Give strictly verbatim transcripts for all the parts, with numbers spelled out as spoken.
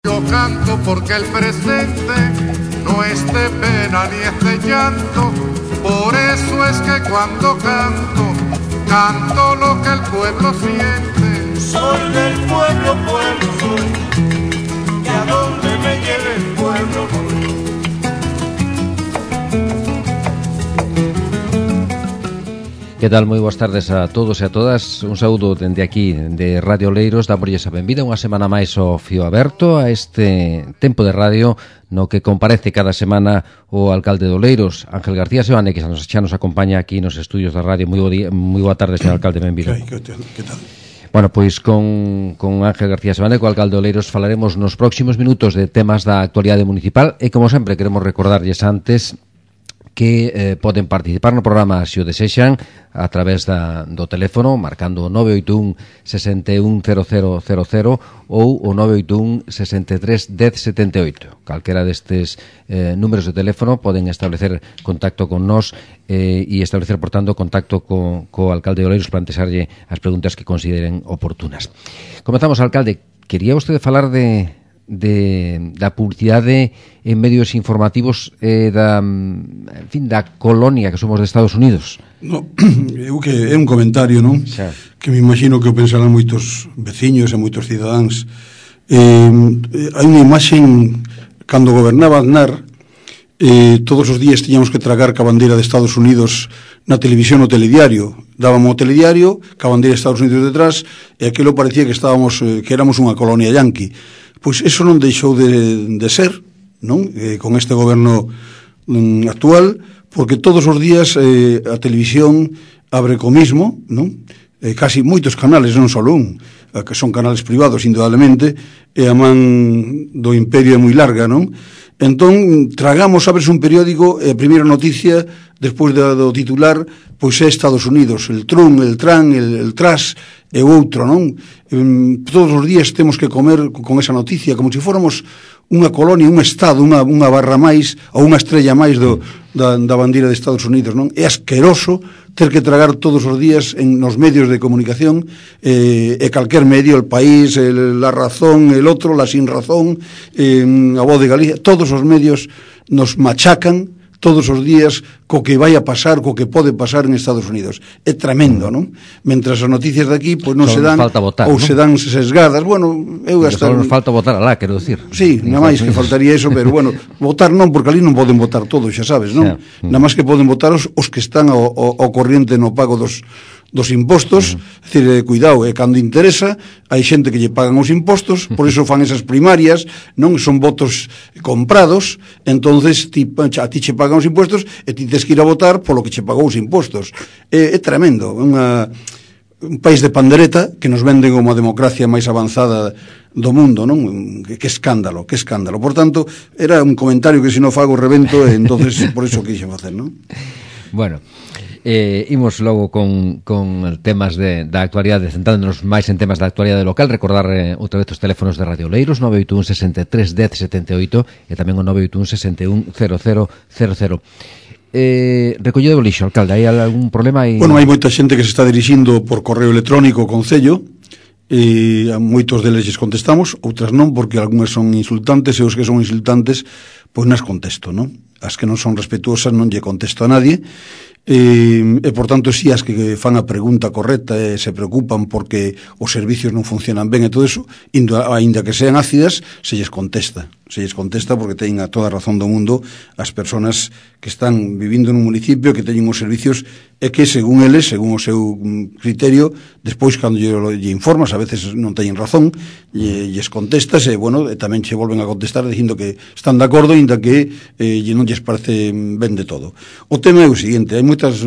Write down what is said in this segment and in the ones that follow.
Yo canto porque el presente no es de pena ni es de llanto, por eso es que cuando canto, canto lo que el pueblo siente. Soy del pueblo, pueblo soy, que a donde me lleve el pueblo voy. Que tal? Moi boas tardes a todos e a todas. Un saúdo dende aquí de Radio Oleiros. Damoslle a benvida unha semana máis ao Fío Aberto, a este tempo de radio no que comparece cada semana o alcalde de Oleiros, Ángel García Seoane, que xa nos, xa nos acompaña aquí nos estudios da radio. Moi, bo día, moi boa tarde, señor alcalde, benvido. Que, que, que tal? Bueno, pois con, con Ángel García Seoane, co alcalde de Oleiros, falaremos nos próximos minutos de temas da actualidade municipal e, como sempre, queremos recordarlles antes que eh, poden participar no programa se o desexan a través da, do teléfono marcando o nove oito un, seis un, cero cero cero cero ou o nove oito un, seis tres, dez, setenta e oito. Calquera destes eh, números de teléfono poden establecer contacto con nós eh, e establecer, por tanto, contacto co, co alcalde de Oleiros para antesarlle as preguntas que consideren oportunas. Comezamos, alcalde. Quería vostede falar de... de da publicidade en medios informativos eh, da, en fin, da colonia que somos de Estados Unidos. No, eu que é un comentario, non? Xa. Que me imagino que o pensarán moitos veciños e moitos cidadáns. Eh, hai unha imaxen cando gobernaba Aznar, eh, todos os días tiñamos que tragar ca bandeira de Estados Unidos na televisión o telediario. Dábamos o telediario ca bandeira de Estados Unidos detrás e aquilo parecía que estábamos eh, que éramos unha colonia yanqui. Pois iso non deixou de, de ser, non? Eh, con este goberno mm, actual, porque todos os días eh, a televisión abre co mismo, non? Eh, casi moitos canales, non só un, eh, que son canales privados, indudablemente, e a man do imperio é moi larga, non? Entón, tragamos, abres un periódico e a primeira noticia, despois do, do titular, pois é Estados Unidos, el Trump, el Tran, el, el Tras e o outro, non? Um, todos os días temos que comer con esa noticia, como se fóramos unha colonia, un estado, unha, unha barra máis ou unha estrella máis do, da, da bandeira de Estados Unidos, non? É asqueroso ter que tragar todos os días en nos medios de comunicación eh, e calquer medio, El País, el, La Razón, el outro, La Sin Razón, eh, a Voz de Galicia, todos os medios nos machacan todos os días co que vai a pasar, co que pode pasar en Estados Unidos. É tremendo, non? Mentras as noticias de aquí pois non se dan votar, ou ¿no? se dan sesgadas. Bueno, eu hasta só nos falta votar alá, quero dicir. Sí, nada máis que faltaría eso, pero bueno, votar non, porque ali non poden votar todos, xa sabes, non? Xa. Nada máis que poden votar os, os que están ao, ao, ao corriente no pago dos dos impostos, uh-huh. É dicir, eh, cuidado, e eh, cando interesa, hai xente que lle pagan os impostos, por iso fan esas primarias, non son votos comprados, entonces ti, a ti che pagan os impostos e ti tes que ir a votar polo que che pagou os impostos. É, é tremendo, é unha, un país de pandereta que nos venden como a democracia máis avanzada do mundo, non? Que, que escándalo, que escándalo. Por tanto, era un comentario que se non fago revento, e entonces por iso quixen facer, non? Bueno, Eh, imos logo con, con temas de, da actualidade, centrándonos máis en temas da actualidade local. Recordar eh, outra vez os teléfonos de Radio Oleiros, nove oito un, seis tres, dez, setenta e oito e tamén o nove oito un, seis un, cero cero cero cero. Eh, recollido do lixo, alcalde, hai algún problema? Hai... Bueno, hai moita xente que se está dirixindo por correo electrónico ao Concello, e a moitos deles lles contestamos, outras non, porque algunhas son insultantes, e os que son insultantes pois nas contesto, non? As que non son respetuosas non lle contesto a nadie. E, e por tanto, si as que fan a pregunta correcta e se preocupan porque os servicios non funcionan ben e todo eso, aínda que sean ácidas, se lles contesta se lles contesta porque teñen a toda a razón do mundo as persoas que están vivindo nun municipio, que teñen os servicios e que, según eles, según o seu criterio, despois, cando lle, lle informas, a veces non teñen razón, lle, lles contestas e, bueno, e tamén che volven a contestar dicindo que están de acordo, ainda que eh, non lles parece ben de todo. O tema é o seguinte: hai moitas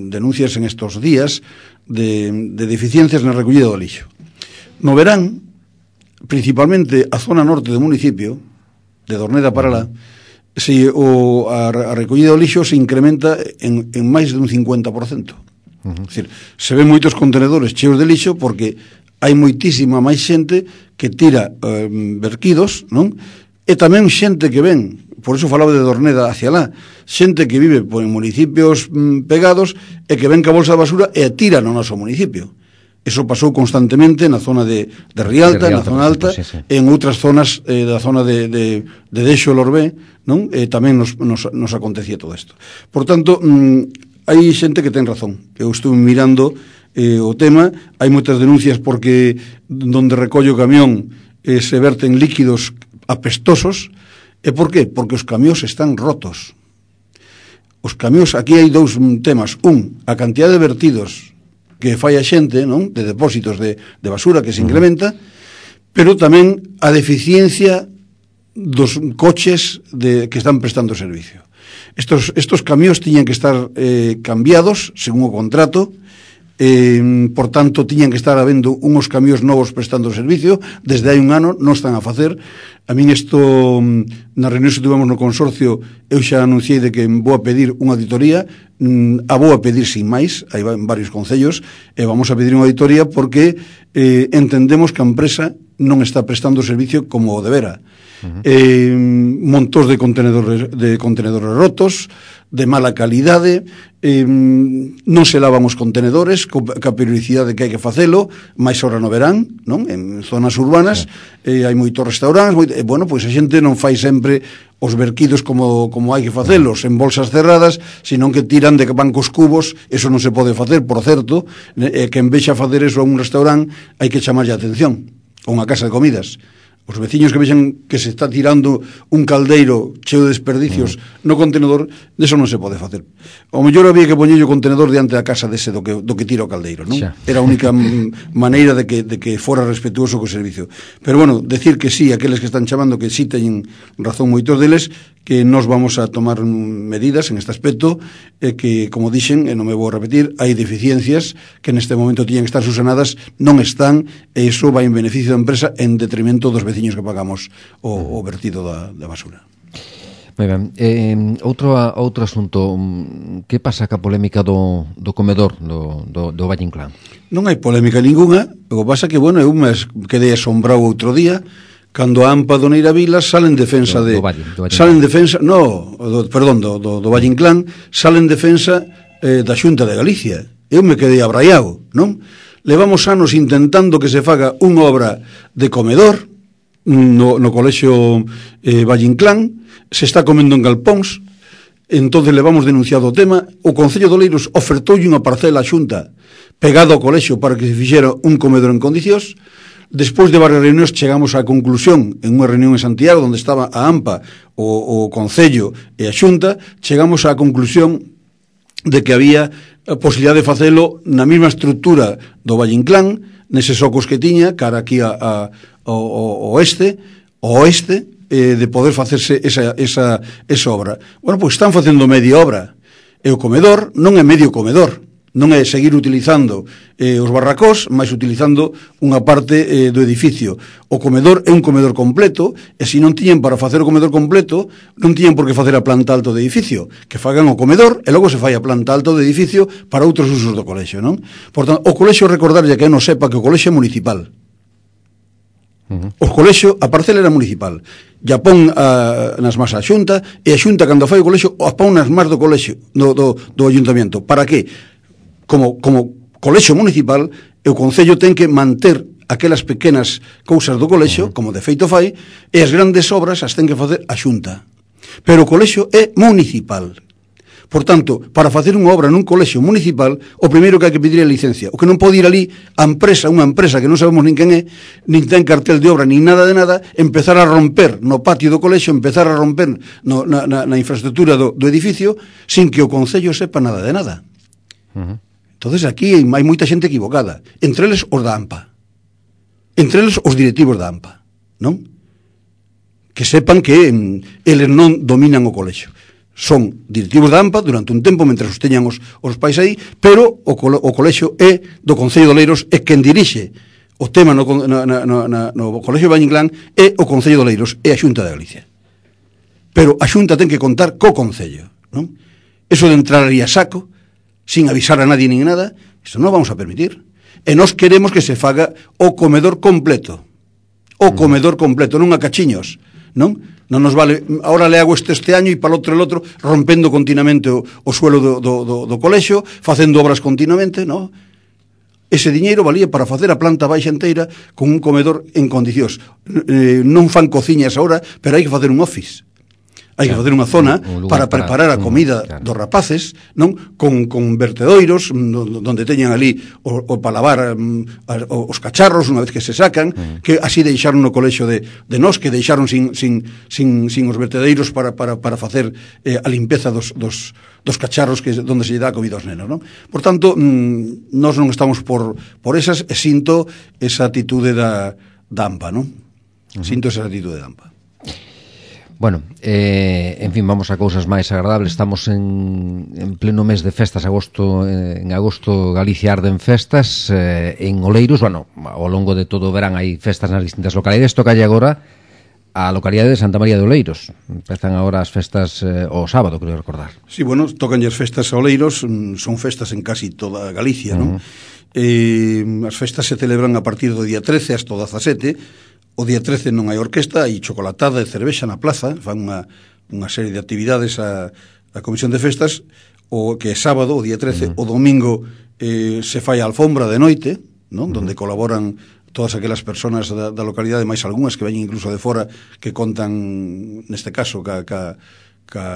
denuncias en estos días de, de deficiencias na recollida do lixo. No verán, principalmente a zona norte do municipio, de Dorneda para lá, se, o, a, a recollida do lixo se incrementa en, en máis de un cincuenta por cento. Uh-huh. É dicir, se ven moitos contenedores cheos de lixo porque hai moitísima máis xente que tira eh, verquidos, non? E tamén xente que ven, por iso falaba de Dorneda hacia lá, xente que vive por en municipios mm, pegados e que ven ca bolsa de basura e tira no noso municipio. Eso pasou constantemente na zona de, de Rialta, de Rialta, na zona alta, sí, sí. En outras zonas eh, da zona de, de, de Dexo e Lorbé, non? Eh, tamén nos, nos, nos acontecía todo isto. Por tanto, mm, hai xente que ten razón. Eu estou mirando eh, o tema, hai moitas denuncias porque donde recollo o camión eh, se verten líquidos apestosos. E por qué? Porque os camións están rotos. Os camións, aquí hai dous temas. Un, a cantidad de vertidos que fai a xente, non? De depósitos de, de basura que se incrementa, pero tamén a deficiencia dos coches de, que están prestando servicio. Estos, estos camións tiñan que estar eh, cambiados según o contrato, eh, por tanto tiñan que estar habendo unhos camións novos prestando servicio, desde hai un ano non están a facer. A min isto, na reunión que tivemos no consorcio, eu xa anunciei de que vou a pedir unha auditoría, a vou a pedir sin máis, hai varios concellos, e vamos a pedir unha auditoría porque eh, entendemos que a empresa non está prestando servicio como o debera. Uh-huh. eh, montos de contenedores, de contenedores rotos, de mala calidade, eh, non se lavan os contenedores co, ca periodicidade que hai que facelo, máis ahora no verán, non? En zonas urbanas, uh-huh. eh, hai moitos restaurantes, moito, eh, bueno, pois a xente non fai sempre os verquidos como, como hai que facelos en bolsas cerradas, senón que tiran de bancos cubos. Eso non se pode facer, por certo, eh, que en vez de facer eso a un restaurante hai que chamarlle a atención, a unha casa de comidas. Os veciños que vexan que se está tirando un caldeiro cheo de desperdicios mm. no contenedor, deso non se pode facer. O mellor había que poñer o contenedor diante da casa dese do que, do que tira o caldeiro, non? Xa. Era a única maneira de que, de que fora respetuoso co servicio. Pero bueno, decir que sí, aqueles que están chamando que sí teñen razón moitos deles, que nos vamos a tomar medidas en este aspecto, e que, como dixen, e non me vou a repetir, hai deficiencias que neste momento tiñan que estar susanadas, non están, e iso vai en beneficio da empresa en detrimento dos veciños que pagamos o, o vertido da, da basura. Moi ben. Eh, outro, outro asunto, que pasa ca polémica do, do comedor do, do, do Valle Inclán? Non hai polémica ninguna, o que pasa que, bueno, eu me quedei asombrado outro día cando a AMPA do Neira Vila sale en defensa de... Do, do Valle, do Valle sale en defensa, no, do, perdón, do, do, do Valle Inclán, sale en defensa eh, da Xunta de Galicia. Eu me quedei abraiado, non? Levamos anos intentando que se faga unha obra de comedor no, no colexio eh, Valle Inclán, se está comendo en galpóns, entonces levamos denunciado o tema, o Concello de Oleiros ofertoulle unha parcela a Xunta pegado ao colexio para que se fixera un comedor en condicións. Despois de varias reunións chegamos á conclusión, en unha reunión en Santiago onde estaba a AMPA, o, o Concello e a Xunta, chegamos á conclusión de que había a posibilidade de facelo na mesma estrutura do Valle Inclán, neses ocos que tiña, cara aquí a, a, ao oeste, ao oeste, eh, de poder facerse esa, esa, esa obra. Bueno, pois están facendo media obra, e o comedor non é medio comedor, non é seguir utilizando eh, os barracós, mas utilizando unha parte eh, do edificio. O comedor é un comedor completo, e se non tiñen para facer o comedor completo, non tiñen por que facer a planta alta do edificio, que fagan o comedor e logo se fai a planta alta do edificio para outros usos do colexio, non? Por tanto, o colexio, recordarlle que non sepa que o colexio é municipal. Uh-huh. O colexio, a parcela era municipal, ya pon a, nas más a Xunta, e a Xunta, cando fai o colexio, a pon nas más do colexio, do, do, do ayuntamiento. Para que? Como, como colexio municipal, o Concello ten que manter aquelas pequenas cousas do colexio, uh-huh. como de feito fai, e as grandes obras as ten que facer a Xunta. Pero o colexio é municipal. Por tanto, para facer unha obra nun colexio municipal, o primeiro que hai que pedir é a licencia. O que non pode ir ali a empresa, unha empresa que non sabemos nin quen é, nin ten cartel de obra, nin nada de nada, empezar a romper no patio do colexio, empezar a romper no, na, na, na infraestructura do, do edificio, sin que o Concello sepa nada de nada. Uh-huh. Entonces aquí hai, hai moita xente equivocada, entre eles os da AMPA, entre eles os directivos da AMPA, non? Que sepan que mm, eles non dominan o colexio. Son directivos da AMPA durante un tempo, mentre os teñan os, os pais aí, pero o, cole, o colexio é do Concello de Oleiros, é quen dirixe o tema no, na, na, na, no colexio de Valle Inclán, é o Concello de Oleiros, é a Xunta de Galicia. Pero a Xunta ten que contar co Concello, non? Eso de entrar aí a saco, sin avisar a nadie nin nada, iso non vamos a permitir. E nós queremos que se faga o comedor completo, o comedor completo, non a cachiños, non? Non nos vale, ahora le hago este este año e para outro el outro, rompendo continuamente o, o suelo do, do, do, do colexio, facendo obras continuamente, non? ese diñeiro valía para facer a planta baixa inteira con un comedor en condicións. Eh, non fan cociñas agora, pero hai que facer un office. Hai que facer unha zona para preparar a comida claro. dos rapaces, non? Con, con vertedoiros, donde teñan ali o, o para lavar um, os cacharros unha vez que se sacan, mm. que así deixaron no colexo de, de nós, que deixaron sin, sin, sin, sin os vertedeiros para, para, para facer eh, a limpeza dos, dos, dos cacharros que donde se lle dá a comida aos nenos, non? Por tanto, mm, nós non estamos por, por esas, e sinto esa atitude da, da A M P A, non? Mm. Sinto esa atitude da A M P A. Bueno, eh, en fin, vamos a cousas máis agradables. Estamos en, en pleno mes de festas, agosto, eh, en agosto Galicia arde en festas, eh, en Oleiros, bueno, ao longo de todo o verán hai festas nas distintas localidades. Tocalle agora a localidade de Santa María de Oleiros. Empezan agora as festas eh, o sábado, creo recordar. Sí, bueno, tocan as festas a Oleiros, son festas en casi toda Galicia, non? Uh -huh. eh, as festas se celebran a partir do día trece hasta o dezasete. O día trece non hai orquesta, hai chocolatada e cervexa na plaza, fan unha, unha serie de actividades a, a Comisión de Festas, o que é sábado, o día trece, uh -huh. o domingo eh, se fai a alfombra de noite, non? Uh -huh. Donde colaboran todas aquelas persoas da, da localidade, máis algunhas que veñen incluso de fora, que contan, neste caso, ca, ca, ca,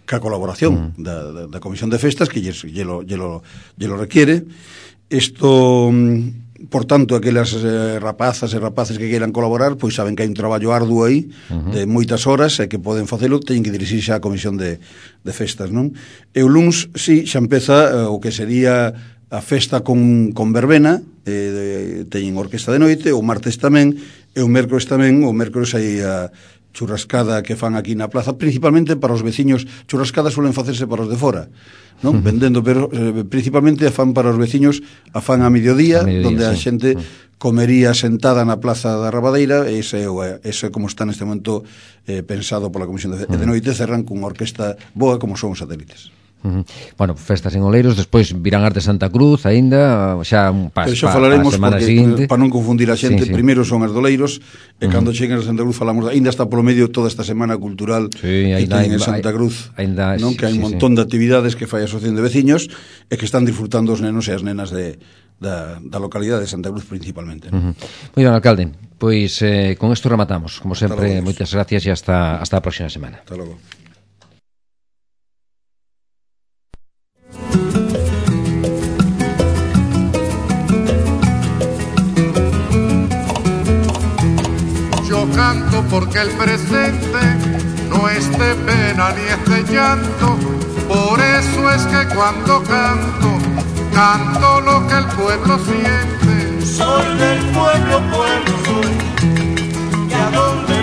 ca colaboración uh -huh. da, da, da Comisión de Festas, que lle, lle, lo, lle, lo, lle lo requiere. Isto... Por tanto, aquelas eh, rapazas e rapaces que queiran colaborar, pois saben que hai un traballo arduo aí, uh -huh. de moitas horas, e que poden facelo, teñen que dirixirse á Comisión de, de Festas, non? E o luns, sí, xa empeza eh, o que sería a festa con, con verbena, eh, de, teñen orquesta de noite, o martes tamén, e o mércores tamén, o mércores hai a churrascada que fan aquí na plaza, principalmente para os veciños. Churrascadas suelen facerse para os de fora, non? Uh -huh. Vendendo, pero eh, principalmente a fan para os veciños, a fan a mediodía, a mediodía donde sí. a xente uh -huh. comería sentada na plaza da Rabadeira, e ese, ese como está neste momento eh, pensado pola Comisión de, uh -huh. de Noite, cerran con unha orquesta boa como son os satélites. Uh -huh. Bueno, festas en Oleiros, despois virán as de Santa Cruz aínda, xa pa, xa pa, falaremos pa porque, para non confundir a xente, sí, sí. primeiro son as de Oleiros, e uh -huh. cando cheguen a Santa Cruz falamos, aínda está polo medio toda esta semana cultural sí, que ten en Santa Cruz, ainda, non? Que hai un sí, montón sí. de actividades que fai a Asociación de Veciños e que están disfrutando os nenos e as nenas de, da, da localidade de Santa Cruz principalmente. Uh -huh. Moi ben, alcalde, pois eh, con isto rematamos, como sempre, moitas gracias e hasta, hasta a próxima semana. Hasta logo. Canto porque el presente no es de pena ni es de llanto, por eso es que cuando canto, canto lo que el pueblo siente. Soy del pueblo, pueblo soy, que a donde